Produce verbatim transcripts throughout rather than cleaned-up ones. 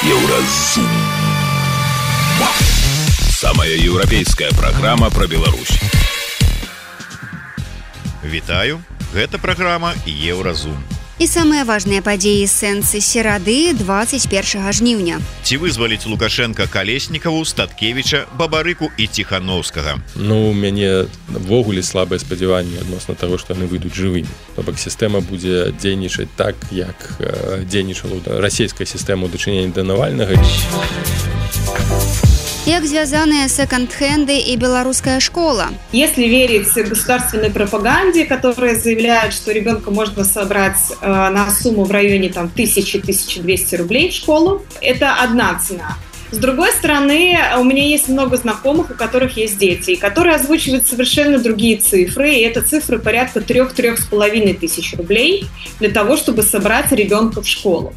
Еўразум. Самая еўрапейская праграма пра Беларусь. Вітаю, гэта праграма Еўразум. І самыя важныя падзеі сэнсы серады двадцать первого жніўня. Ці вызваліць Лукашенка Калеснікаву, Статкевіча, Бабарыку і Ціханаўскага? Ну, у мяне ввогуле слабае спадзяванне адносна таго, што яны выйдуць жывымі. То бок сістэма будзе дзейнічаць так, як э, дзейнічала расійская сістэма ў дачыненні да Навальнага. Як связанные секонд-хенды и белорусская школа? Если верить государственной пропаганде, которая заявляет, что ребенка можно собрать э, на сумму в районе там, тысячи - тысяча двести рублей в школу, это одна цена. С другой стороны, у меня есть много знакомых, у которых есть дети, и которые озвучивают совершенно другие цифры, и это цифры порядка трех-трех с половиной тысяч рублей для того, чтобы собрать ребенка в школу.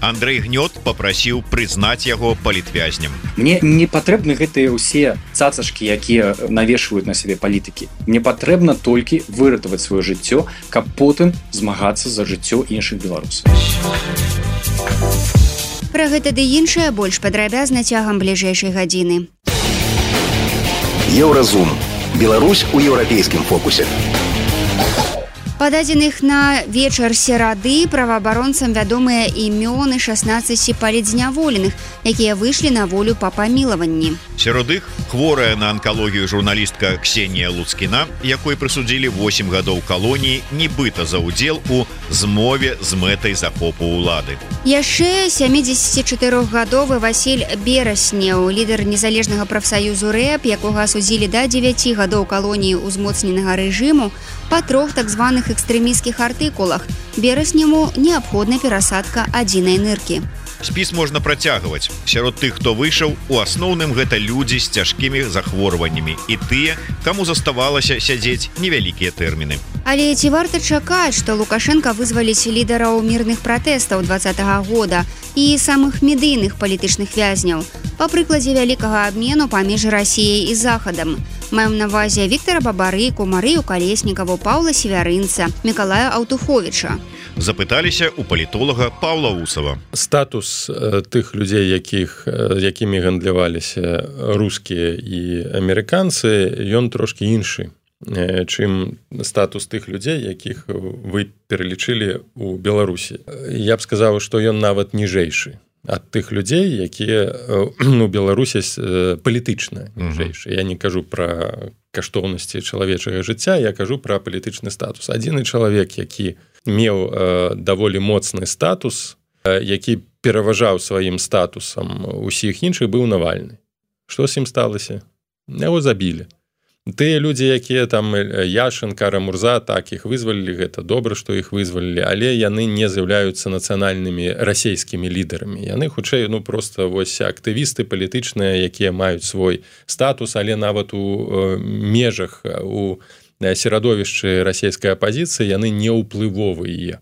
Андрэй Гнёт попрасіў прызнаць яго палітвязнем. Мне не патрэбны гэтыя ўсе цацачкі, якія навешваюць на сябе палітыкі. Мне патрэбна толькі выратаваць сваё жыццё, каб потым змагацца за жыццё іншых беларусаў. Пра гэта ды іншае больш падрабязна цягам бліжэйшай гадзіны. Еўразум. Беларусь у еўрапейскім фокусе. Па дадзеных на вечар серады праваабаронцам вядомыя імёны шаснаццаці палітзняволеных, якія выйшлі на волю па памілаванні. Сярод іх хворая на анкалогію журналістка Ксенія Луцкіна, якой прысудзілі восем гадоў калоніі, нібыта за ўдзел у змове з мэтай захопу ўлады. Яшчэ сямідзесяцічатырохгадовы Васіль Бераснеў, лідар незалежнага прафсаюзу рэп, якога асудзілі да дзевяці гадоў калоніі ўзмоцненага рэжыму па трох так званых экстрэмісцкіх артыкулах. Берасняму неабходна перасадка адзінай ныркі. Спіс можна працягваць. Сярод тых, хто выйшаў, у асноўным гэта людзі з цяжкімі захворваннямі і тыя, каму заставалася сядзець невялікія тэрміны. Але ці варта чакаць, што Лукашенка вызваліць лідараў мірных пратэстаў двадцатага года і самых медыйных палітычных вязняў, па прыкладзе вялікага абмену паміж Расіяй і Захадам. Маем на ўвазе Віктара Бабарыку, Марыю Калеснікаву, Паўла Севярынца, Мікалая Аўтуховіча. Запыталіся у палітолага Паўла Усава. Статус э, тых людзей, якіх, э, якімі гандляваліся рускія і амерыканцы, ён трошкі іншы, э, чым статус тых людзей, якіх вы пералічылі ў Беларусі. Я б сказаў, што ён нават ніжэйшы ад тых людзей, якія у Беларусі палітычна ніжэйшы. Я не кажу пра каштоўнасці чалавечага жыцця, я кажу пра палітычны статус. Адзіны чалавек, які меў э, даволі моцны статус, э, які пераважаў сваім статусам усіх іншых, быў Навальны. Што з ім сталася? Яго забілі. Тыя людзі, якія там Яшын, Кара-Мурза, так, іх вызвалілі, гэта добра, што іх вызвалілі, але яны не з'яўляюцца нацыянальнымі расійскімі лідарамі. Яны хутчэй, ну, проста вось актывісты палітычныя, якія маюць свой статус, але нават у э, межах, у серадовішчы расійскай апазіцыі яны не ўплывовыя.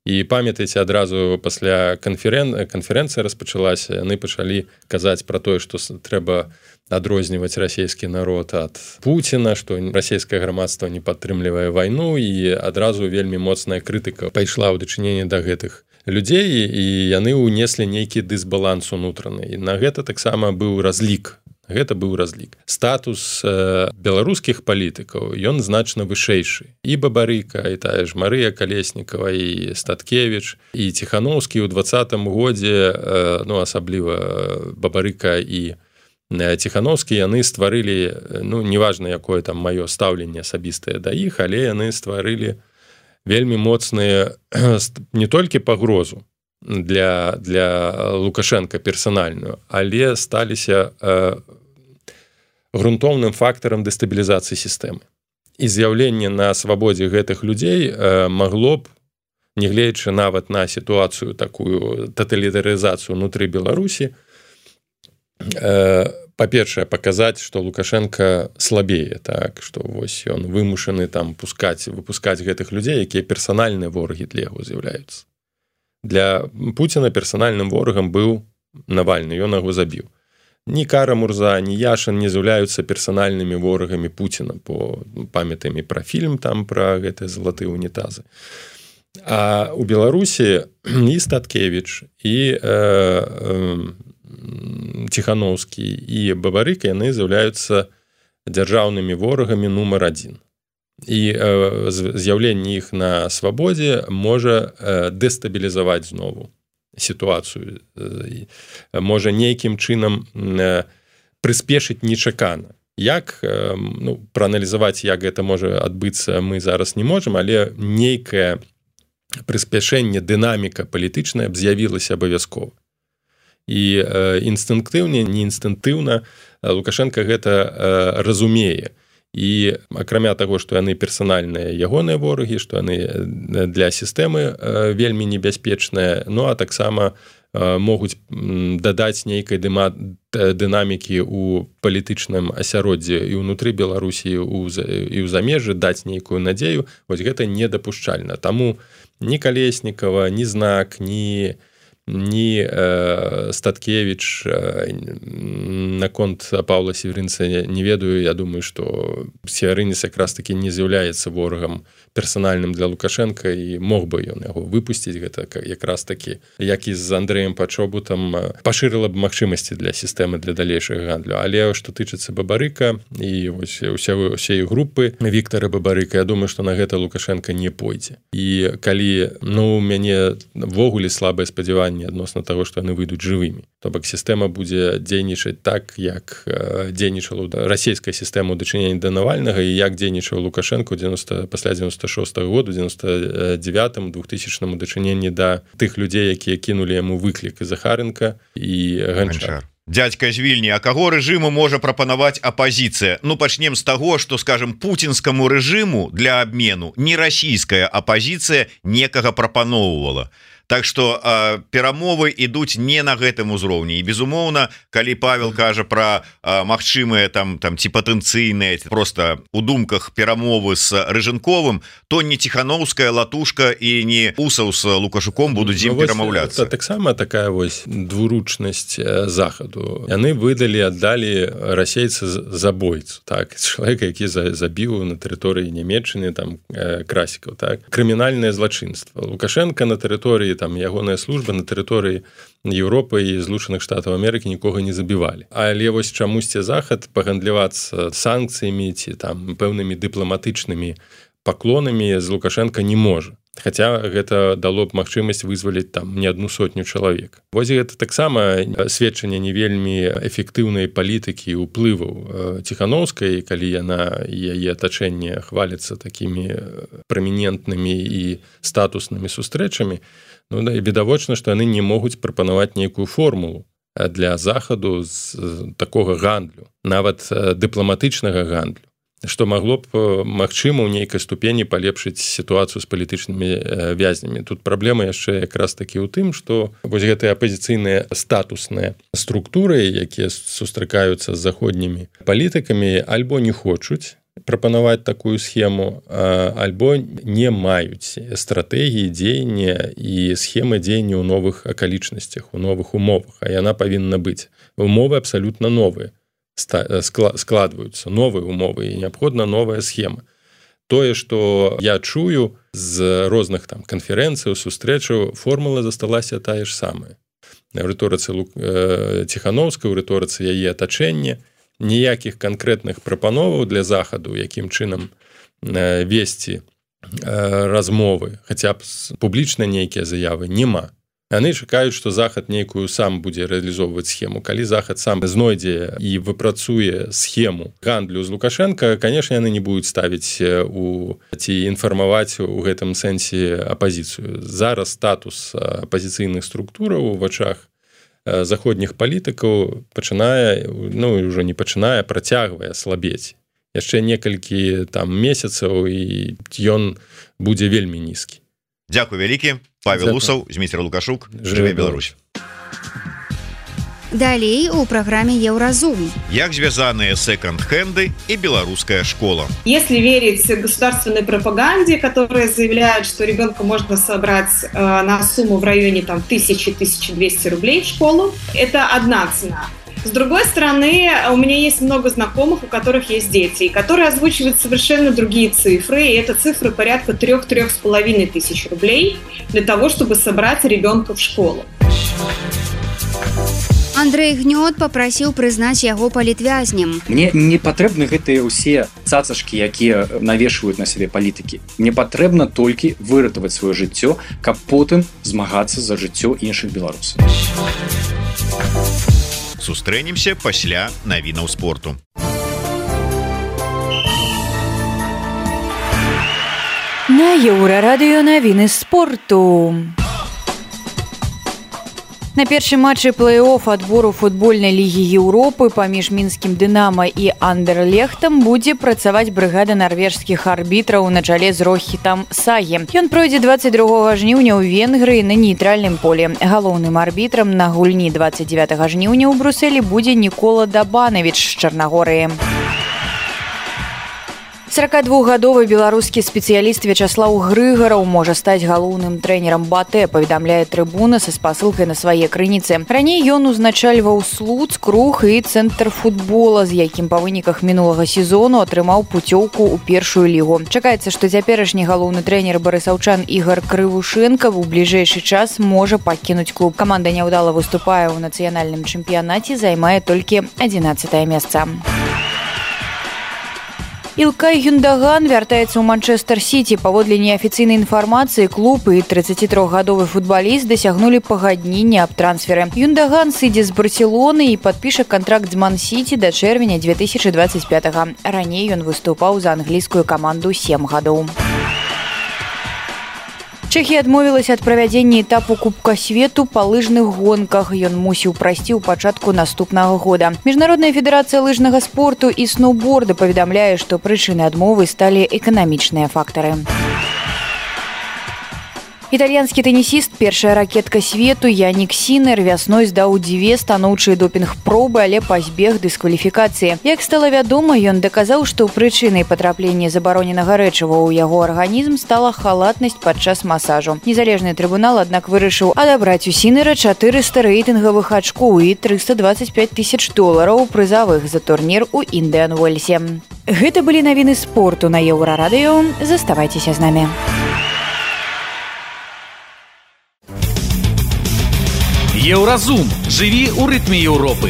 І памятаеце, адразу пасля канферэн... канферэнцыя распачалася, яны пачалі казаць пра тое, што трэба адрозніваць расійскі народ ад Пуціна, што расійскае грамадства не падтрымлівае вайну, і адразу вельмі моцная крытыка пайшла ў дачыненні да гэтых людзей, і яны ўнеслі нейкі дысбаланс унутраны. І на гэта таксама быў разлік. Гэта быў разлік. Статус э, беларускіх палітыкаў, ён значна вышэйшы. І Бабарыка, і тая ж Марыя Калеснікава, і Статкевіч, і Ціханаўскі ў двадцатым годзе, э, ну, асабліва Бабарыка і Ціханаўскі, яны стварылі, ну, неважна, якое там маё стаўленне асабістае да іх, але яны стварылі вельмі моцныя не толькі пагрозу для, для Лукашенка персанальную, але сталіся э, грунтоўным фактарам дэстабілізацыі сістэмы. І з'яўленне на свабодзе гэтых людзей э, магло б, нягледзячы нават на сітуацыю такую таталітарызацыю ўнутры Беларусі, э, па-першае, паказаць, што Лукашенка слабее, так, што вось ён вымушаны там пускаць, выпускаць гэтых людзей, якія персанальныя ворагі для яго з'яўляюцца. Для Пуціна персанальным ворагам быў Навальны, ён яго забіў. Ні Кара-Мурза, ні Яшын не з'яўляюцца персанальнымі ворагамі Пуціна, бо памятаем і пра фільм там, пра гэтыя залатыя унітазы. А у Беларусі і Статкевіч і э, э, Ціхановскі і Бабарыка яны з'яўляюцца дзяржаўнымі ворагамі нумар адзін. І э, з'яўленне іх на свабодзе можа э, дэстабілізаваць знову сітуацыю, э, можа нейкім чынам э, прыспешыць нечакана. Як э, ну, прааналізаваць, як гэта можа адбыцца, мы зараз не можам, але нейкае прыспяшэнне, дынаміка палітычная б з'явілася абавязкова. І э, інстынктыўна, не інстынктыўна Лукашенко гэта э, разумее. І акрамя таго, што яны персанальныя ягоныя ворагі, што яны для сістэмы э, вельмі небяспечныя, ну а таксама э, могуць дадаць нейкай дыма, дынамікі ў палітычным асяроддзі і ўнутры Беларусі, і ў замежжы, даць нейкую надзею, вось гэта недапушчальна. Таму ні Калеснікава, ні Знак, ні, ні э, Статкевіч, э, наконт Паўла Северынца не ведаю, я думаю, што Северынец якраз такі не з'яўляецца ворагам персанальным для Лукашенка і мог бы ён яго выпусціць, гэта якраз такі, як і з Андрэем Пачобутам, пашырыла б магчымасці для сістэмы для далейшага гандлю. Але што тычыцца Бабарыка і вось усе, усе групы Віктара Бабарыка, я думаю, што на гэта Лукашенко не пойдзе. І калі, ну, у мяне ввогуле слабае спадзяванне адносна таго, што яны выйдуць жывымі, то бок сістэма будзе дзейнічаць так, як дзейнічала расійская сістэма ў дачыненні да Навальнага і як дзейнічаў Лукашенко пасля дзевяносто шостага году, дзевяносто девятым, двухтысячным у дачыненні да тых людзей, якія кінулі яму выклік і Захаренка і Ганчар. Дядька з Вільні, а каго рэжыму можа прапанаваць апазіцыя? Ну, пачнем з таго, што, скажем, пуцінскаму рэжыму для абмену не расійская апазіцыя некага прапаноўвала. Так што э, перамовы ідуць не на гэтым узроўні. І, безумоўна, калі Павел кажа пра э, магчымыя там, там ці патэнцыйныя, проста у думках перамовы з Рыжынковым, то не Ціхановская, Латушка і не Усаў з Лукашуком будуць з ім ну, перамаўляцца. Таксама такая вось двуручнасць захаду. Яны выдалі, аддалі расейца забойцу, так, чалавека, які забіў на тэрыторыі Нямецчыны, там, Красікаў, так, крымінальнае злачынства. Лукашенко на тэрыторыі там ягоная служба на тэрыторыі Еўропы і Злучаных Штатаў Амерыкі нікога не забівалі. Але вось чамусьці захад пагандлівацца санкцыямі ці там пэўнымі дыпламатычнымі паклонамі з Лукашенко не можа. Хаця гэта дало б магчымасць вызваліць там не адну сотню чалавек. Вось гэта таксама сведчанне не вельмі эфектыўнай палітыкі і ўплываў Ціхановскай, калі яна і яе атачэнне хваліцца такімі прамінентнымі і статуснымі сустрэчамі. Ну, да, і відавочна, што яны не могуць прапанаваць нейкую формулу для захаду з такога гандлю, нават дыпламатычнага гандлю, што магло б, магчыма, ў нейкай ступені палепшыць сітуацыю з палітычнымі вязнямі. Тут праблема яшчэ якраз такі ў тым, што вось гэтыя апазіцыйныя статусныя структуры, якія сустракаюцца з заходнімі палітыкамі, альбо не хочуць прапанаваць такую схему, альбо не маюць стратэгіі дзеяння і схемы дзеяння ў новых акалічнасцях, у новых умовах, а яна павінна быць. Умовы абсалютна новыя складваюцца, новыя умовы, і неабходна новая схема. Тое, што я чую з розных там канферэнцый, сустрэчаў, формула засталася тая ж самая. У рыторыцы Ціхановскай, у рыторыцы яе атачэння, ніякіх канкрэтных прапановаў для захаду, якім чынам весці размовы, хаця б публічна нейкія заявы, няма. Яны чакаюць, што захад нейкую сам будзе рэалізоўваць схему. Калі захад сам знойдзе і выпрацуе схему гандлю з Лукашенко, канешне, яны не будуць ставіць у ці інфармаваць у гэтым сэнсе апазіцыю. Зараз статус апазіцыйных структураў у вачах заходніх палітыкаў пачынае, ну, і ўжо не пачынае, працягвае слабець. Яшчэ некалькі там месяцаў, і ён будзе вельмі нізкі. Дзякуй вялікі. Павел Усаў, Зміцер Лукашук. Жыве Беларусь. Далей у программе Евразум. Як звязанные секонд-хенды и белорусская школа. Если верить государственной пропаганде, которая заявляет, что ребенка можно собрать э, на сумму в районе там тысячи — тысяча двести рублей в школу, это одна цена. С другой стороны, у меня есть много знакомых, у которых есть дети, которые озвучивают совершенно другие цифры, и это цифры порядка трех-трех с половиной тысяч рублей для того, чтобы собрать ребенка в школу. Андрей Гнёт папрасіў прызнаць яго палітвязнем. Мне не патрэбны гэтыя ўсе цацачкі, якія навешваюць на сябе палітыкі. Мне патрэбна толькі выратаваць сваё жыццё, каб потым змагацца за жыццё іншых беларусаў. Сустрэнемся пасля навінаў спорту. На Еўрарадыё навіны спорту. На першым матчы плэй-офф адбору футбольнай лігі Еўропы паміж мінскім «Дынама» і «Андерлехтам» будзе працаваць брыгада нарвежскіх арбітраў на чале з Рохітам Сагі. Ён пройдзе дваццаць другога жніўня ў Венгрыі на нейтральным полі. Галоўным арбітрам на гульні дваццаць дзевятага жніўня ў Брусэлі будзе Нікола Дабанавіч з Чарнагорыі. сорокадвухгадовы беларускі спецыяліст Вячаслаў Грыгараў можа стаць галоўным трэнерам БАТЭ, паведамляе Трыбуна са спасылкай на свае крыніцы. Раней ён узначальваў Слуцк, Рух і цэнтр футбола, з якім па выніках мінулага сезону атрымаў пуцёўку ў першую лігу. Чакаецца, што цяперашні галоўны трэнер барысаўчан Ігар Крывушэнка ў бліжэйшы час можа пакінуць клуб. Каманда няўдала выступае ў нацыянальным чэмпіянаце, займае толькі адзінаццатае месца. Ілкай Гюндаган вяртаецца ў Манчэстэр-Сіці. Паводле неафіцыйнай інфармацыі, клуб і трыццацітрохгадовы футбаліст дасягнулі пагаднення аб трансферы. Гюндаган сыдзе з Барселоны і падпіша кантракт з Ман-Сіці да чэрвеня две тысячы дваццаць пятага. Раней ён выступаў за англійскую каманду сем гадоў. Чэхія адмовілася ад правядзення этапу Кубка свету па лыжных гонках. Ён мусіў прайсці ў пачатку наступнага года. Міжнародная федэрацыя лыжнага спорту і сноўборда паведамляе, што прычынай адмовы сталі эканамічныя фактары. Італьянскі тэнісіст, першая ракетка свету Янік Сінер вясной здаў дзве станоўчыя допінг-пробы, але пазбег дыскваліфікацыі. Як стала вядома, ён даказаў, што прычынай патраплення забароненага рэчыва ў яго арганізм стала халатнасць падчас масажу. Незалежны трыбунал, аднак, вырашыў адабраць у Сінера чатырыста рэйтынгавых ачкоў і трыста дваццаць пяць тысяч долараў прызавых за турнір у Індыан Уэльсе. Гэта былі навіны спорту на Еўрарадыё. Заставайцеся з намі. Еўразум. Жыві ў рытме Еўропы.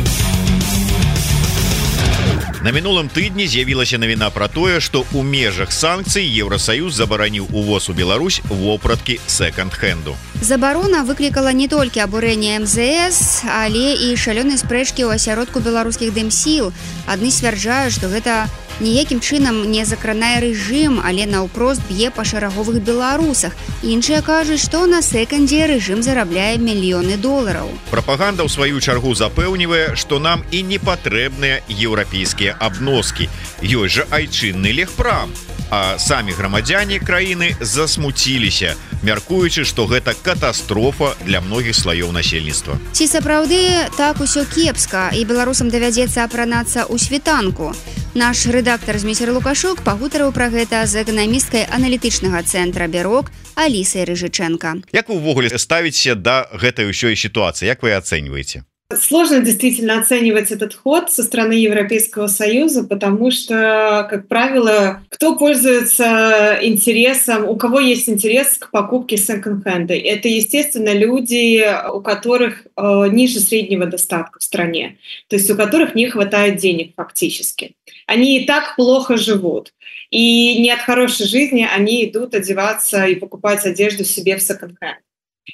На мінулым тыдні з'явілася навіна пра тое, што ў межах санкцый Еўрасаюз забараніў увоз у Беларусь вопраткі сэканд-хэнду. Забарона выклікала не толькі абурэнне эм зэ эс, але і шалёныя спрэчкі ў асяродку беларускіх дэмсіл. Адны сцвярджаюць, што гэта ніякім чынам не закранае рэжым, але наўпрост б'е па шараговых беларусах. Іншыя кажуць, што на сэкандзе рэжым зарабляе мільёны долараў. Прапаганда ў сваю чаргу запэўнівае, што нам і не патрэбныя еўрапейскія абноскі. Ёсць жа айчынны легпрам. А самі грамадзяне краіны засмуціліся, мяркуючы, што гэта катастрофа для многіх слаёў насельніцтва. Ці сапраўды так усё кепска, і беларусам давядзецца апранацца ў світанку? Наш рэдактар Змейсер Лукашук пагутарыў пра гэта з эканамісткай аналітычнага цэнтра «Бярок» Алісай Рыжыченко. Як вы ўвогуле ставіце да гэтай ўсёй сітуацыі? Як вы ацэньваеце? Сложно действительно оценивать этот ход со стороны Европейского Союза, потому что, как правило, кто пользуется интересом, у кого есть интерес к покупке секонд-хенда, это, естественно, люди, у которых э, ниже среднего достатка в стране, то есть у которых не хватает денег фактически. Они и так плохо живут, и не от хорошей жизни они идут одеваться и покупать одежду себе в секонд-хенд.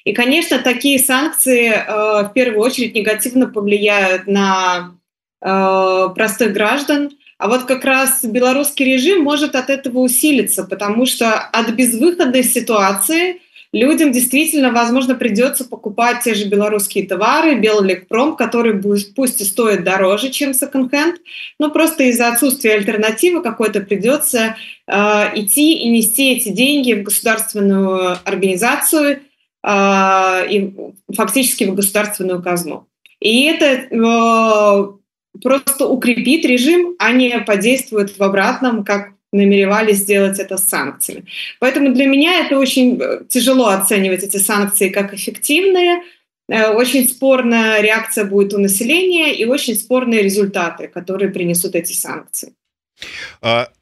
И, конечно, такие санкции э, в первую очередь негативно повлияют на э, простых граждан. А вот как раз белорусский режим может от этого усилиться, потому что от безвыходной ситуации людям действительно, возможно, придется покупать те же белорусские товары, Беллекпром, который пусть и стоит дороже, чем секонд-хенд, но просто из-за отсутствия альтернативы какой-то придется э, идти и нести эти деньги в государственную организацию, и фактически в государственную казну. И это э, просто укрепит режим, а не подействует в обратном, как намеревались сделать это с санкциями. Поэтому для меня это очень тяжело оценивать эти санкции как эффективные. очень спорная реакция будет у населения и очень спорные результаты, которые принесут эти санкции.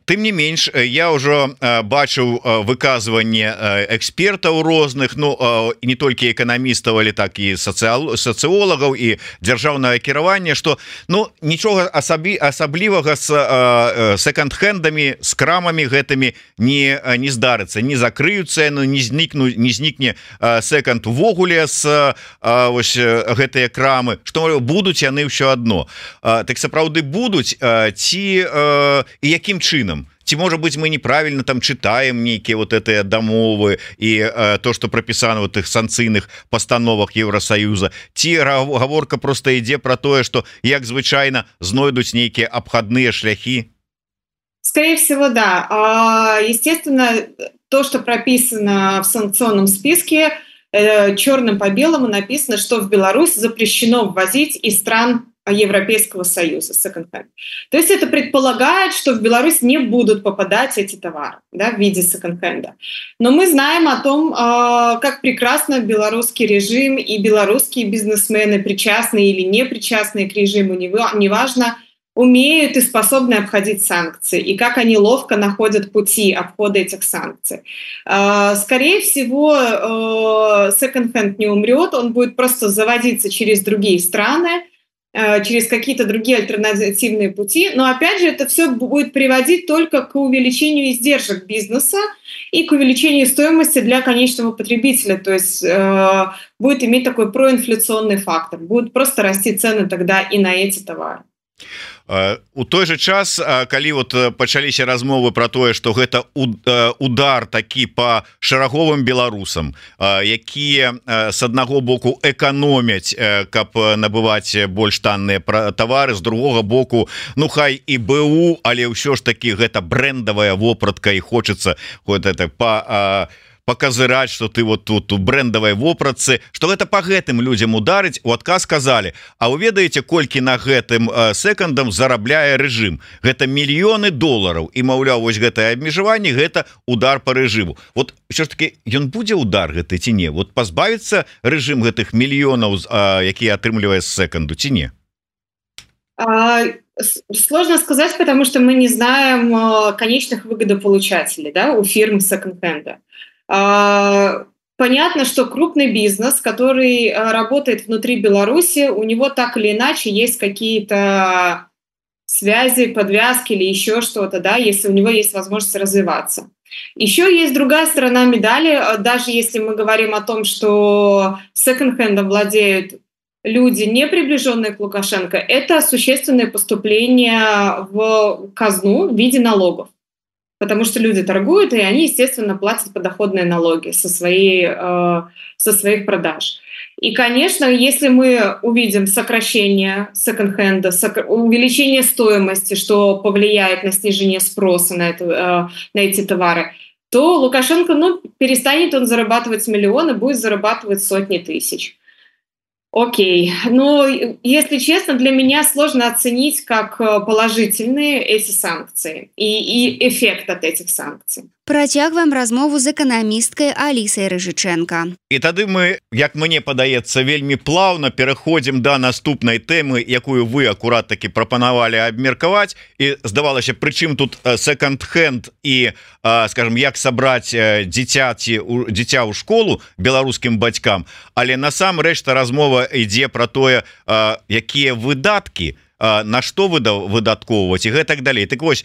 Тым не менш, я ўжо бачыў выказванне экспертаў розных, ну не толькі эканамістаў, але так і сацыолагаў і дзяржаўнага кіравання, што ну нічога асабі асаблівага з секонд-хендамі, з крамамі гэтымі не не здарыцца, не закрыюцца, ну не знікну не знікне секонд увогуле з ось гэтыя крамы, што будуць яны ўсё адно. Так сапраўды будуць ці і якім чынам? Ці можа быть мы неправильно там читаем нейкія вот этыя дамовы і э, то что пропісана в тых санкцыйных постановах Евросоюза, ці гаворка просто ідзе про тое, что як звычайна знойдуць нейкія обходные шляхи? Скорее всего, да. Естественно, то, что прописано в санкционном списке, э, черным по белому написано, что в Беларусь запрещено ввозить из стран Европейского Союза секонд-хенд. То есть это предполагает, что в Беларусь не будут попадать эти товары, да, в виде секонд-хенда. Но мы знаем о том, как прекрасно белорусский режим и белорусские бизнесмены, причастные или не причастные к режиму, неважно, умеют и способны обходить санкции, и как они ловко находят пути обхода этих санкций. Скорее всего, секонд-хенд не умрет, он будет просто заводиться через другие страны, через какие-то другие альтернативные пути. Но опять же, это все будет приводить только к увеличению издержек бизнеса и к увеличению стоимости для конечного потребителя. То есть э, будет иметь такой проинфляционный фактор. Будут просто расти цены тогда и на эти товары. У той же час, калі вот пачаліся размовы про тое, что гэта удар такі по шараговым беларусам, якія с аднаго боку эканомяць, каб набываць больш танныя товары, з другога боку ну хай і БУ, але ўсё ж таки гэта брэндавая вопратка і хочется вот это по показыраць, что ты вот тут у брэндавай вопратцы, что гэта по гэтым людям ударыць. У адказ сказали: а вы ведаеце, колькі на гэтым секондам зарабляе рэжым? Гэта мільёны долараў, і маўляў, вось гэтае абмежаванне гэта удар по рэжыму. Вот ўсё ж таки ён будзе удар гэты ці не? Вот пазбавіцца рэжым гэтых мільёнаў, якія атрымлівае з секонду, ці не? Сложно сказать, потому что мы не знаем конечных выгодополучателей, да, у фирм секонд-хенда. Понятно, что крупный бизнес, который работает внутри Беларуси, у него так или иначе есть какие-то связи, подвязки или еще что-то, да, если у него есть возможность развиваться. Еще есть другая сторона медали, даже если мы говорим о том, что секонд-хендом владеют люди, не приближенные к Лукашенко, это существенное поступление в казну в виде налогов. Потому что люди торгуют, и они, естественно, платят подоходные налоги со, своей, э, со своих продаж. И, конечно, если мы увидим сокращение секонд-хенда, сокр... увеличение стоимости, что повлияет на снижение спроса на, это, э, на эти товары, то Лукашенко, ну, перестанет он зарабатывать миллионы, будет зарабатывать сотни тысяч. Окей, но, если честно, для меня сложно оценить как положительные эти санкции и, и эффект от этих санкций. Працягваем размову з эканамісткай Алісай Рыжыченка. І тады мы, як мне падаецца, вельмі плаўна пераходзім да наступнай тэмы, якую вы акурат таки прапанавалі абмеркаваць. І здавалася, прычым тут секонд-хенд і, скажем, як сабраць дзіцяці дзіця ў школу беларускім бацькам, але насамрэч-то размова ідзе пра тое, якія выдаткі, на што выдаткоўваць і гэтак далей. Так вось,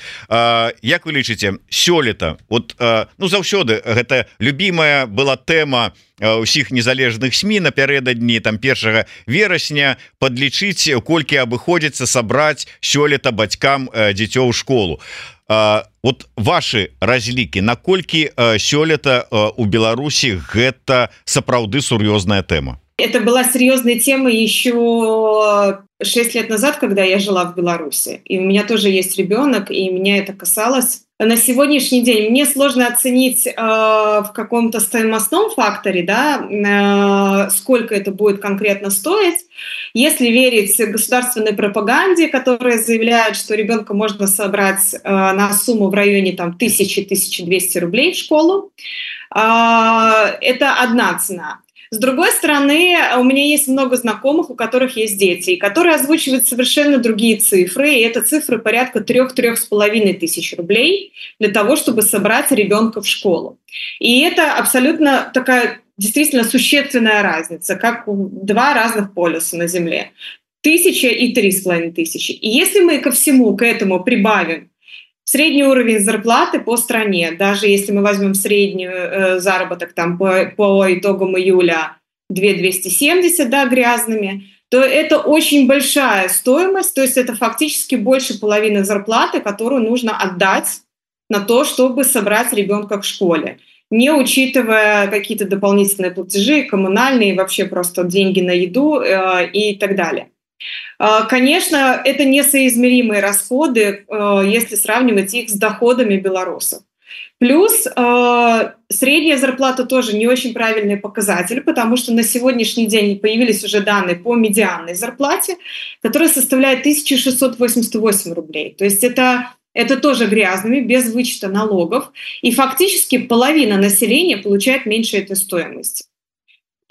як вы лічыце, сёлета вот ну заўсёды гэта любімая была тэма ўсіх незалежных СМІ напярэдадні там першага верасня падлічыць, колькі абыходзіцца сабраць сёлета бацькам дзіцё ў школу. Вот ваши разлікі, наколькі сёлета у Беларусі гэта сапраўды сур'ёзная тэма? Это была серьезная тема еще шесть лет назад, когда я жила в Беларуси. И у меня тоже есть ребенок, и меня это касалось. На сегодняшний день мне сложно оценить э, в каком-то стоимостном факторе, да, э, сколько это будет конкретно стоить. Если верить государственной пропаганде, которая заявляет, что ребенка можно собрать э, на сумму в районе там, тысячи — тысяча двести рублей в школу, э, это одна цена. С другой стороны, у меня есть много знакомых, у которых есть дети, и которые озвучивают совершенно другие цифры, и это цифры порядка трех-трех с половиной тысяч рублей для того, чтобы собрать ребенка в школу. И это абсолютно такая действительно существенная разница, как два разных полюса на Земле. Тысяча и три с половиной тысячи. И если мы ко всему, к этому прибавим средний уровень зарплаты по стране, даже если мы возьмем средний э, заработок там, по, по итогам июля две тысячи двести семьдесят, да, грязными, то это очень большая стоимость, то есть это фактически больше половины зарплаты, которую нужно отдать на то, чтобы собрать ребенка в школе, не учитывая какие-то дополнительные платежи, коммунальные, вообще просто деньги на еду э, и так далее. Конечно, это несоизмеримые расходы, если сравнивать их с доходами белорусов. Плюс средняя зарплата тоже не очень правильный показатель, потому что на сегодняшний день появились уже данные по медианной зарплате, которая составляет тысяча шестьсот восемьдесят восемь рублей. То есть это, это тоже грязными, без вычета налогов. И фактически половина населения получает меньше этой стоимости.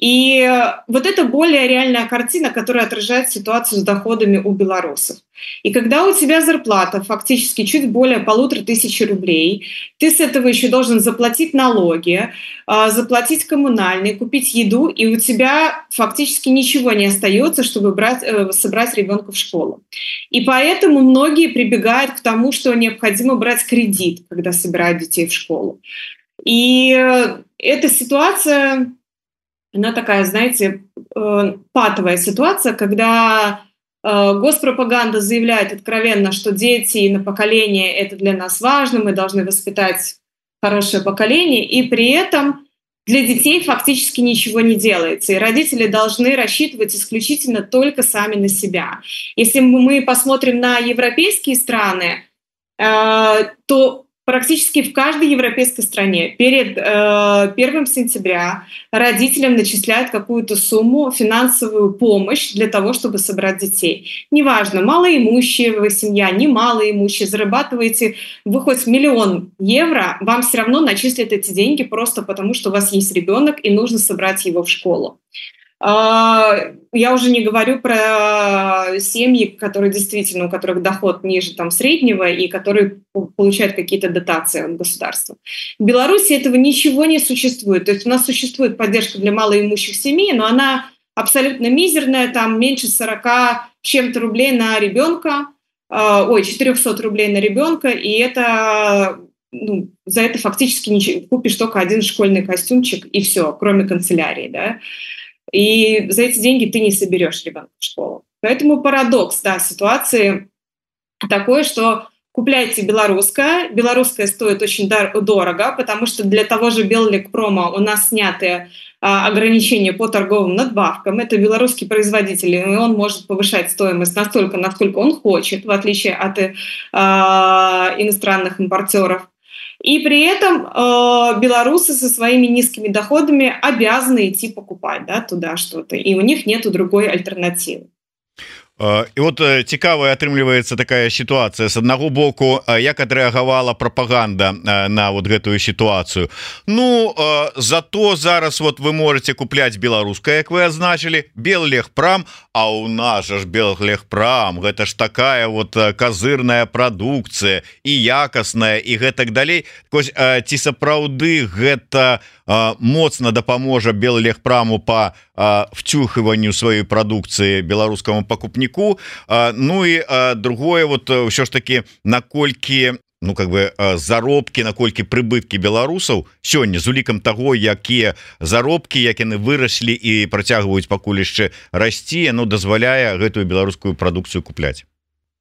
И вот это более реальная картина, которая отражает ситуацию с доходами у белорусов. И когда у тебя зарплата фактически чуть более полутора тысяч рублей, ты с этого еще должен заплатить налоги, заплатить коммунальные, купить еду, и у тебя фактически ничего не остается, чтобы брать, собрать ребенка в школу. И поэтому многие прибегают к тому, что необходимо брать кредит, когда собирают детей в школу. И эта ситуация... Она такая, знаете, патовая ситуация, когда госпропаганда заявляет откровенно, что дети и на поколение — это для нас важно, мы должны воспитать хорошее поколение, и при этом для детей фактически ничего не делается, и родители должны рассчитывать исключительно только сами на себя. Если мы посмотрим на европейские страны, то практически в каждой европейской стране перед э, первым сентября родителям начисляют какую-то сумму, финансовую помощь для того, чтобы собрать детей. Неважно, малоимущая вы семья, не малоимущая, зарабатываете вы хоть миллион евро, вам все равно начислят эти деньги просто потому, что у вас есть ребенок и нужно собрать его в школу. Я уже не говорю про семьи, которые действительно, у которых доход ниже там, среднего и которые получают какие-то дотации от государства. В Беларуси этого ничего не существует. То есть у нас существует поддержка для малоимущих семей, но она абсолютно мизерная, там меньше сорока чем-то рублей на ребенка, ой, четыреста рублей на ребенка, и это... Ну, за это фактически ничего, купишь только один школьный костюмчик, и все, кроме канцелярии, да. И за эти деньги ты не соберешь ребенка в школу. Поэтому парадокс, да, ситуации такой, что купляйте белорусское. Белорусское стоит очень дорого, потому что для того же Беллекпрома у нас сняты а, ограничения по торговым надбавкам. Это белорусский производитель, и он может повышать стоимость настолько, насколько он хочет, в отличие от а, иностранных импортеров. И при этом э, белорусы со своими низкими доходами обязаны идти покупать, да, туда что-то, и у них нету другой альтернативы. І вот цікавая атрымліваецца такая сітуацыя. С аднаго боку, як адрэагавала прапаганда на вот гэтую сітуацыю. Ну зато зараз вот вы можете купляць беларускае, як вы азначылі, Беллегпрам, а у нас ж Беллегпрам, гэта ж такая вот казырная прадукцыя і якасная і гэтак далей. Ці сапраўды гэта моцна дапаможа Беллегпраму по втюхиванию своей продукции белорусскому покупнику. Ну и другое, вот все ж таки, наколькі, ну как бы заробки, наколькі прыбытки беларусаў сёння з улікам того, якія заробки, як яны выраслі і працягваюць пакуль яшчэ расці, ну дазваляе гэтую беларускую продукцию купляць.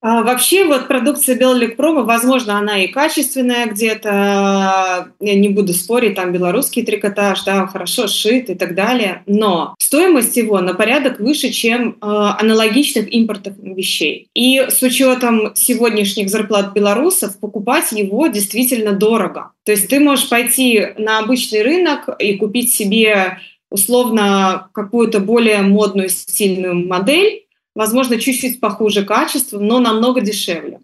А вообще, вот продукция Беллекпрома, возможно, она и качественная где-то, я не буду спорить, там белорусский трикотаж, да, хорошо сшит и так далее, но стоимость его на порядок выше, чем э, аналогичных импортных вещей. И с учетом сегодняшних зарплат белорусов покупать его действительно дорого. То есть ты можешь пойти на обычный рынок и купить себе условно какую-то более модную, стильную модель, возможно, чуть-чуть похуже качеством, но намного дешевле.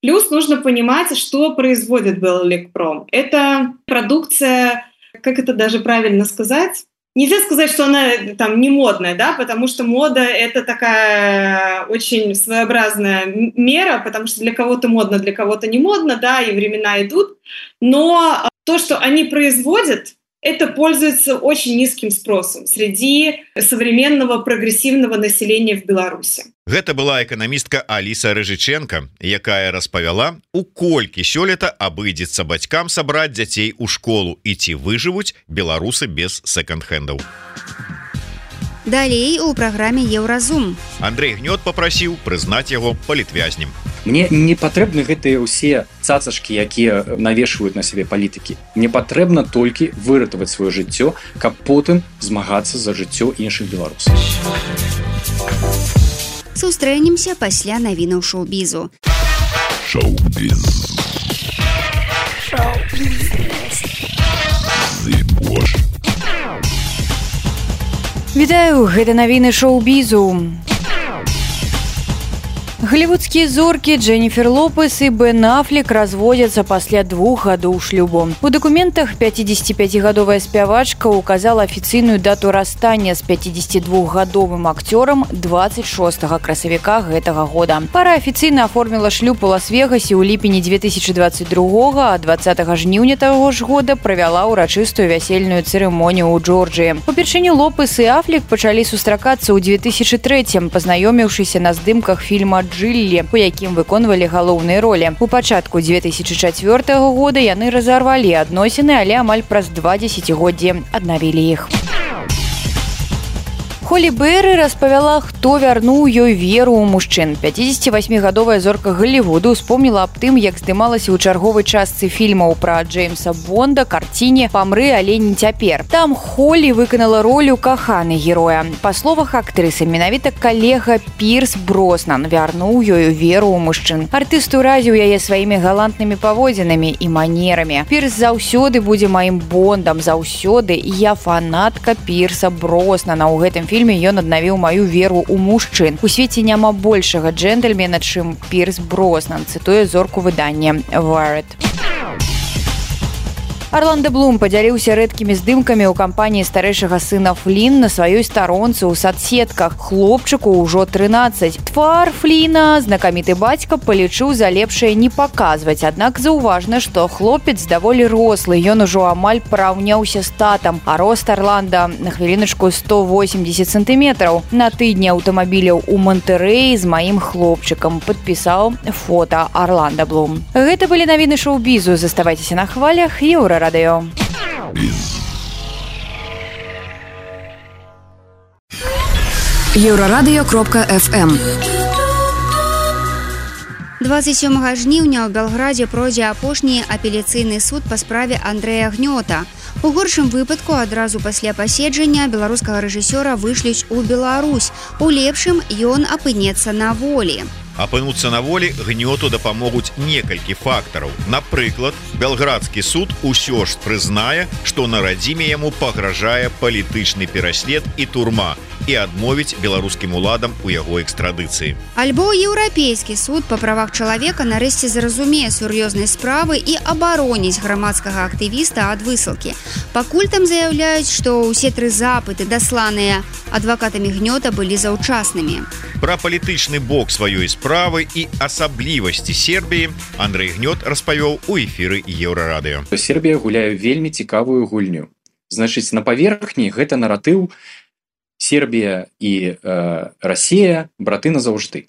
Плюс нужно понимать, что производит Беллекпром. Это продукция, как это даже правильно сказать, Нельзя сказать, что она там не модная, да, потому что мода — это такая очень своеобразная мера, потому что для кого-то модно, для кого-то не модно, да, и времена идут. Но то, что они производят, это пользуется очень низким спросом среди современного прогрессивного населения в Беларуси. Гэта была эканамістка Аліса Рыжыченко, якая распавяла, у колькі сёлета абыдзецца бацькам сабраць дзяцей у школу і ці выжывуць беларусы без секонд-хендаў. Далей у праграме Еўразум. Андрей Гнёт попрасіў прызнаць яго палітвязнем. Мне не патрэбны гэтыя ўсе цацачкі, якія навешваюць на сябе палітыкі. Мне патрэбна толькі выратаваць сваё жыццё, каб потым змагацца за жыццё іншых беларусаў. Сустрэнемся пасля навінаў шоу-бізу. Шоу-біз. Шоу-біз. Вітаю, гэта навіны шоу-бізу. Голливудские зорки Дженнифер Лопес и Бен Аффлек разводятся пасля двух гадоў шлюбу. У документах пяцідзесяціпяцігадовая спявачка указала официальную дату расстания с пяцідзесятидвухгадовым актером двадцать шостага красавіка гэтага года. Пара официально оформила шлюб у Лас-Вегасе ў ліпені две тысячи двадцать другога, а двадцатага жніўня таго ж года правяла ўрачыстую вясельную цырымонію ў Джорджыі. Упершыню Лопес и Аффлек пачалі сустракацца ў две тысячи трэцім, пазнаёміўшыся на здымках фільма «Джилли», у якім выконвалі галоўныя ролі. У пачатку две тысячи чацвёртага года яны разарвалі адносіны, але амаль праз два дзесяцігоддзі аднавілі іх. Холі Берри распавяла, хто вярнуў ёй веру ў мужчын. пяцідзесяцівасьмігадовая зорка Голливуду успомніла аб тым, як здымалася ў чарговай частцы фільмаў пра Джеймса Бонда карціне «Памры, але не цяпер». Там Холі выканала ролю каханай героя. Па словах актрысы, менавіта калега Пірс Броснан вярнуў ёй веру ў мужчын. Артыст уразіў яе сваімі галантнымі паводзінамі і манерамі. Пірс заўсёды будзе маім Бондам, заўсёды, і я фанатка Пірса Броснана. У гэтым фільме ён аднавіў маю веру ў мужчын. У свеце няма большага джентльмена, чым Пірс Броснан, цытуе зорку выдання Wired. Орландо Блум падзяліўся рэдкімі здымкамі ў кампаніі старэйшага сына Флін на сваёй старонцы ў садсетках. Хлопчыку ўжо трынаццаць. Твар Фліна знакаміты бацька палічыў за лепшае не паказваць, аднак заўважна, што хлопец даволі рослы, ён ужо амаль параўняўся з татам, а рост Орландо на хвіліначку сто восемьдесят сантиметраў. На тыдні аўтамабіляў у Монтэрэі з маім хлопчыкам, падпісаў фота Орландо Блум. Гэта былі навіны шоу-бізу. Заставайцеся на хвалях Еўра радыё. Еўрарадыё кропка эф эм. двадцать сёмага жніўня ў Белградзе пройдзе апошні апеляцыйны суд па справе Андрэя Гнёта. У горшым выпадку адразу пасля паседжання беларускага рэжысёра вышлюць у Беларусь. У лепшым ён апынецца на волі. Апынуцца на волі Гнёту дапамогуць некалькі фактараў. Напрыклад, белградскі суд усё ж прызнае, што на радзіме яму пагражае палітычны пераслед і турма і адмовіць беларускім уладам у яго экстрадыцыі. Альбо еўрапейскі суд па правах чалавека нарэшце зразумее сур'ёзнай справы і абароніць грамадскага актывіста ад высылкі. Пакуль там заяўляюць, што ўсе тры запыты, дасланыя адвакатамі Гнёта, былі заўчаснымі. Пра палітычны бок сваёй справы і асаблівасці Сербіі Андрей Гнёт распавёў у эфіры Еўрарадыё. Сербія гуляе вельмі цікавую гульню. Значыць, на паверхні гэта наратыў Сербія і э, Расія браты назаўжды.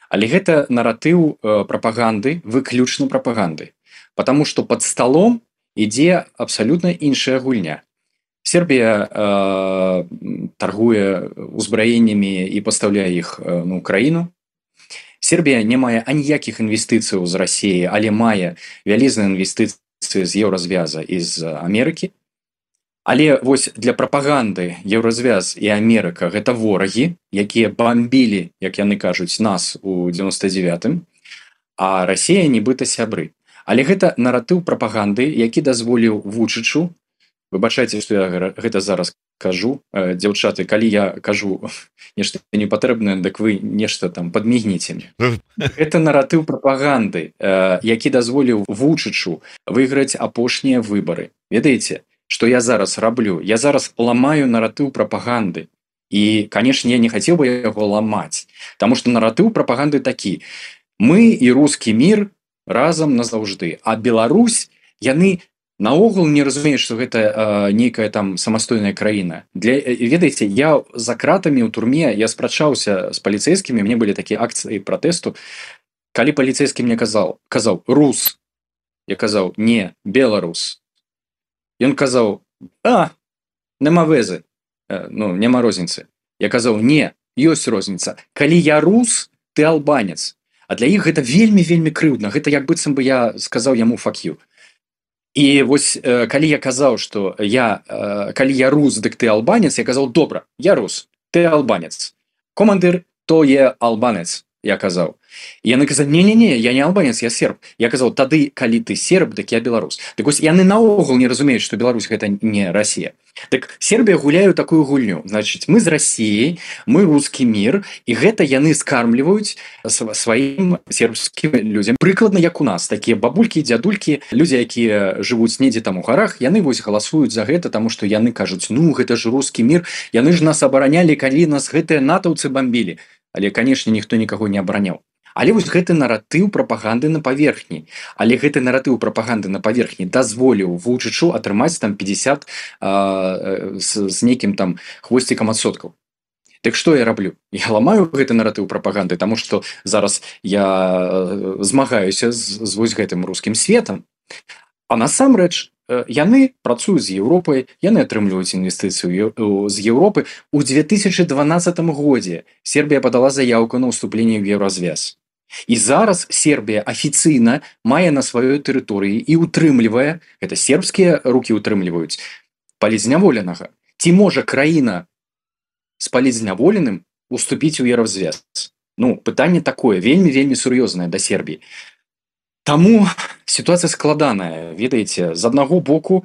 Але гэта наратыў э, прапаганды, выключна прапаганды. Потому што пад сталом ідзе абсалютна іншая гульня. Сербія э, таргуе узбраеннямі і пастаўляе іх э, на Украіну. Сербія не мае аніякіх інвестыцыяў з Расіі, але мае вялізныя інвестыцыі з Еўразвяза і з Амерыкі. Але вось для прапаганды Еўразвяз і Амерыка гэта ворагі, якія бамбілі, як яны кажуць, нас у дзевяносто девятым, а Расія нібыта сябры. Але гэта наратыў прапаганды, які дазволіў Вучычу. Выбачайце, што я гэта зараз кажу, дзяўчаты, калі я кажу нешта непатрэбнае, дык вы нешта там падмігніце мне. Гэта наратыў прапаганды, які дазволіў Вучычу выйграць апошнія выбары. Ведаеце, что я зараз раблю, я зараз ламаю наратыў прапаганды. І, конечно, я не хацеў бы яго ламаць, потому что наратыў прапаганды такі: мы і рускі мір разам назаўжды, а Беларусь, яны наогул не разумеюць, што гэта э, нейкая там самастойная краіна. Для, ведаеце, я за кратамі ў турме, я спрачаўся з паліцэйскімі, мне былі такія акцыі пратэсту, калі паліцэйскі мне казаў, казаў рус, я казаў не, беларус. Ён казаў, а, нема вэзы, э, ну, няма розніцы. Я казаў, не, ёсць розніца. Калі я рус, ты албанец. А для іх гэта вельмі-вельмі крыўдна. Гэта як быццам бы я сказаў яму fuck you. І вось э, калі я казаў, што я, э, калі я рус, дык ты албанец, я казаў, добра, я рус, ты албанец. Командыр, то є албанец, я казаў. І яны казалі, не-не-не, я не албанец, я серб. Я казаў, тады, калі ты серб, дык я беларус. Так вось яны наогул не разумеюць, што Беларусь гэта не Расія. Так Сербія гуляю такую гульню. Значыць, мы з Расіяй, мы рускі мір, і гэта яны скармліваюць сваім сербскім людзям. Прыкладна як у нас, такія бабулькі, дзядулькі, людзі, якія жывуць недзе там у гарах, яны вось галасуюць за гэта, таму што яны кажуць, ну, гэта ж рускі мір, яны ж нас абаранялі, калі нас гэтыя натаўцы бамбілі. Але, канешне, ніхто нікаго не абараняў. Але вось гэты наратыў прапаганды на паверхні. Але гэты наратыў прапаганды на паверхні дазволіў Вучычу атрымаць там пятьдесят а, з, з нейкім там хвосцікам адсоткаў. Так што я раблю? Я ламаю гэты наратыў прапаганды, таму што зараз я змагаюся з, з вось гэтым рускім светам. А насамрэч, яны працуюць з Еўропай, яны атрымліваюць інвестыцыю з Еўропы. У две тысячи дванадцатым годзе Сербія падала заявку на ўступленне ў Еўразвяз. І зараз Сербія афіцыйна мае на сваёй тэрыторыі і утрымлівае, гэта сербскія рукі утрымліваюць, палізняволенага. Ці можа краіна з палізняволеным уступіць у Еўразвяз? Ну, пытанне такое, вельмі-вельмі сур'ёзнае да Сербіі. Таму сітуацыя складаная, ведаеце, з аднаго боку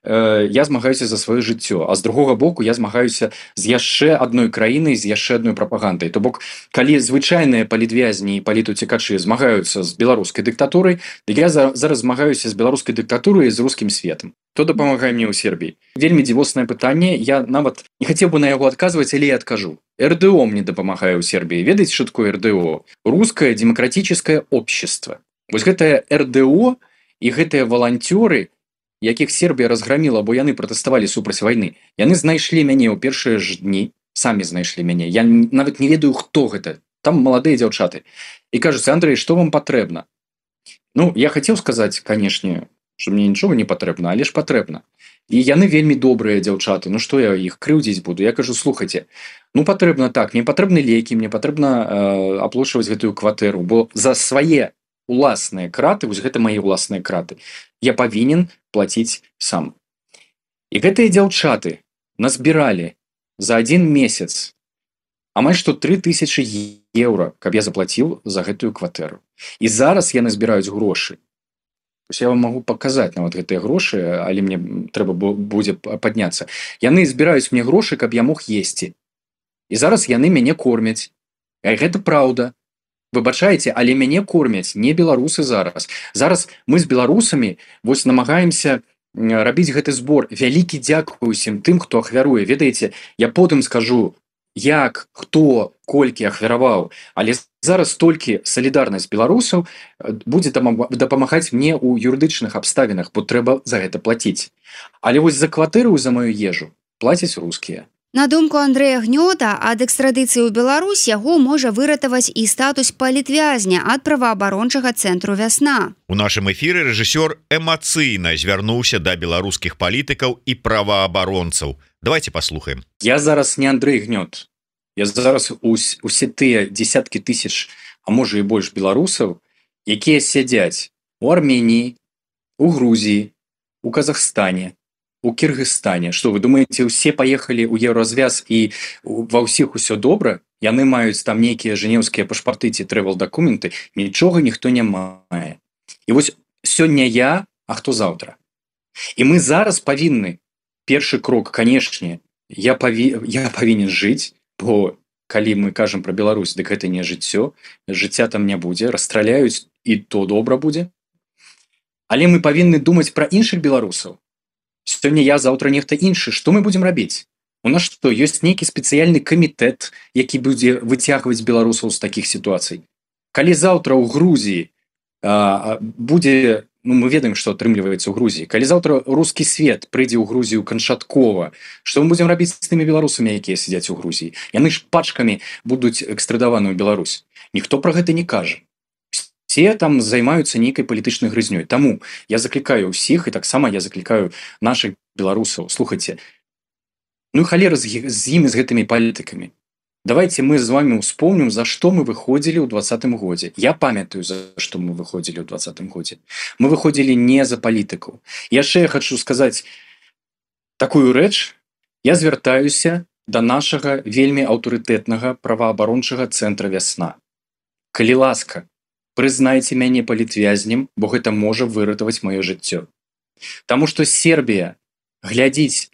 э, я змагаюся за сваё жыццё, а з другога боку я змагаюся з яшчэ адной краінай, з яшчэ адной прапагандай. То бок, калі звычайныя палітвязні і палітуцікачы змагаюцца з беларускай дыктатурай, дык я за, зараз змагаюся з беларускай дыктатурай і з рускім светам. Хто дапамагае мне ў Сербіі? Вельмі дзівоснае пытанне, я нават не хацеў бы на яго адказваць, але я адкажу. эр дэ о мне дапамагае ў Сербіі. Ведаеце, што такое эр дэ о? Рускае демократическое общество. Вось гэтае эр дэ о і гэтыя валанцёры, якіх Сербія разграміла, бо яны пратэставалі супраць вайны, яны знайшлі мяне ў першыя ж дні, самі знайшлі мяне. Я нават не ведаю, хто гэта. Там маладыя дзяўчаты. І кажуць, Андрэй, што вам патрэбна? Ну, я хацеў сказаць, канешне, што мне нічога не патрэбна, але ж патрэбна. І яны вельмі добрыя дзяўчаты. Ну што я іх крыўдзіць буду? Я кажу, слухайце, ну патрэбна так, мне патрэбны лекі, мне патрэбна э, аплочваць гэтую кватэру, бо за свае уласныя краты, вось гэта мае ўласныя краты, я павінен плаціць сам. І гэтыя дзяўчаты назбіралі за адзін месяц амаль што тры тысячы еўра, каб я заплаціў за гэтую кватэру. І зараз яны збіраюць грошы. Я вам магу паказаць нават гэтыя грошы, але мне трэба будзе падняцца. Яны збіраюць мне грошы, каб я мог есці. І зараз яны мяне кормяць. І гэта праўда. Выбачаеце, але мяне кормяць не беларусы зараз. Зараз мы з беларусамі вось намагаемся рабіць гэты збор. Вялікі дзякуй усім тым, хто ахвяруе. Ведаеце, я потым скажу, як, хто, колькі ахвяраваў, але зараз толькі салідарнасць беларусаў будзе дапамагаць мне ў юрыдычных абставінах, бо трэба за гэта плаціць. Але вось за кватэру і за маю ежу плацяць рускія. На думку Андрэя Гнёта, ад экстрадыцыі ў Беларусь яго можа выратаваць і статус палітвязня ад праваабарончага цэнтру «Вясна». У нашым эфіры рэжысёр эмацыйна звярнуўся да беларускіх палітыкаў і праваабаронцаў. Давайте паслухаем. Я зараз не Андрэй Гнёт. Я зараз ус, усе тыя десяткі тысяч, а можа і больш беларусаў, якія сядзяць у Арменіі, у Грузіі, у Казахстане, у Кіргызстане. Што вы думаеце, усе паехалі ў Еўразвяз і ва ўсіх усё добра? Яны маюць там нейкія жэнеўскія пашпарты ці трэвел-дакументы, нічога ніхто не мае. І вось сёння я, а хто заўтра? І мы зараз павінны, першы крок, канешне, я, паві... я павінен жыць, бо калі мы кажам пра Беларусь, дык гэта не жыццё, жыцця там не будзе, расстраляюць, і то добра будзе. Але мы павінны думаць пра іншых беларусаў. сёння я, заўтра нехта іншы, што мы будзем рабіць? У нас што, ёсць нейкі спецыяльны камітэт, які будзе выцягваць беларусаў з такіх сітуацый? Калі заўтра ў Грузіі а, будзе, ну мы ведаем, што атрымліваецца ў Грузіі, калі заўтра рускі свет прыйдзе ў Грузію канчаткова, што мы будзем рабіць з тымі беларусамі, якія сядзяць у Грузіі? Яны ж пачкамі будуць экстрадаваны ў Беларусь. Ніхто пра гэта не кажа. Все там займаюцца нейкай палітычнай грызнёй. Таму я заклікаю ўсіх, і таксама я заклікаю наших беларусаў. Слухайце, ну халера з, з імі, з гэтымі палітыкамі. Давайте мы з вами успомним, за што мы выходзілі ў двадцатым годзе. Я памятаю, за што мы выходзілі ў двадцатым годзе. Мы выходзілі не за палітыкаў. Яшчэ я хочу сказаць такую рэч. Я звяртаюся да нашага вельмі аўтарытэтнага праваабарончага цэнтра «Вясна». Калі ласка, прызнайце мяне палітвязнем, бо гэта можа выратаваць маё жыццё. Таму што Сербія глядзіць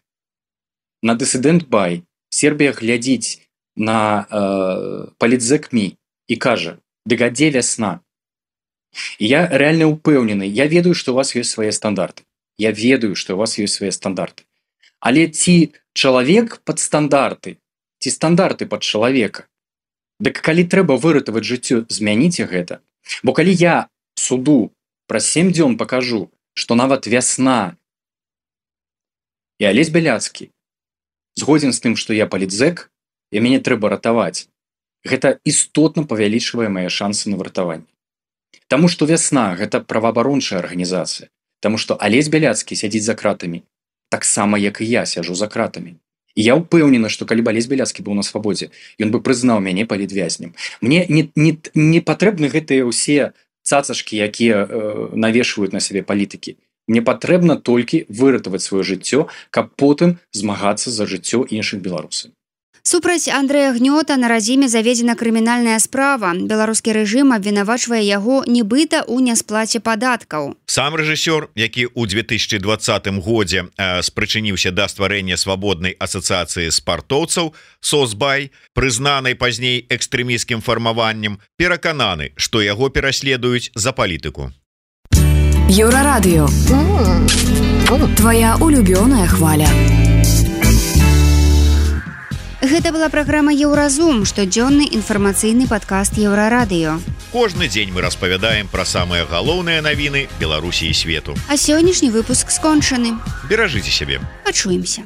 на дысідэнт-бай, Сербія глядзіць на э, палітзэк.ми і кажа, дык а дзе «Вясна»? І я рэальна ўпэўнены, я ведаю, што у вас ёсць свае стандарты. Я ведаю, што у вас ёсць свае стандарты. Але ці чалавек пад стандарты, ці стандарты пад чалавека? Дык калі трэба выратаваць жыццё, змяніце гэта. Бо калі я суду праз сем дзён пакажу, што нават «Вясна» і Алесь Бяляцкі згодзін з тым, што я палітзэк, і мяне трэба ратаваць, гэта істотна павялічвае мае шансы на выратаванне. Таму што «Вясна» гэта праваабарончая арганізацыя, таму што Алесь Бяляцкі сядзіць за кратамі таксама, як і я сяджу за кратамі. І я ўпэўнена, што калі б Алесь Бяляцкі быў на свабодзе, ён бы прызнаў мяне палітвязнем. Мне не, не, не патрэбны гэтыя ўсе цацачкі, якія э, навешваюць на сябе палітыкі. Мне патрэбна толькі выратаваць сваё жыццё, каб потым змагацца за жыццё іншых беларусаў. Супраць Андрэя Гнёта на радзіме заведзена крымінальная справа. Беларускі рэжым абвінавачвае яго нібыта ў нясплаце падаткаў. Сам рэжысёр, які ў две тысячи двадцатым годзе э, спрычыніўся да стварэння свабоднай асацыяцыі спартоўцаў «Сосбай», прызнанай пазней экстрэмісцкім фармаваннем, перакананы, што яго пераследуюць за палітыку. Еўрарадыё. Твоя улюбёная хваля. Гэта была праграма «Еўразум», штодзённы інфармацыйны падкаст Еўрарадыё. Кожны дзень мы распавядаем пра самыя галоўныя навіны Беларусі і свету. А сённяшні выпуск скончаны. Беражыце сябе. Пачуемся.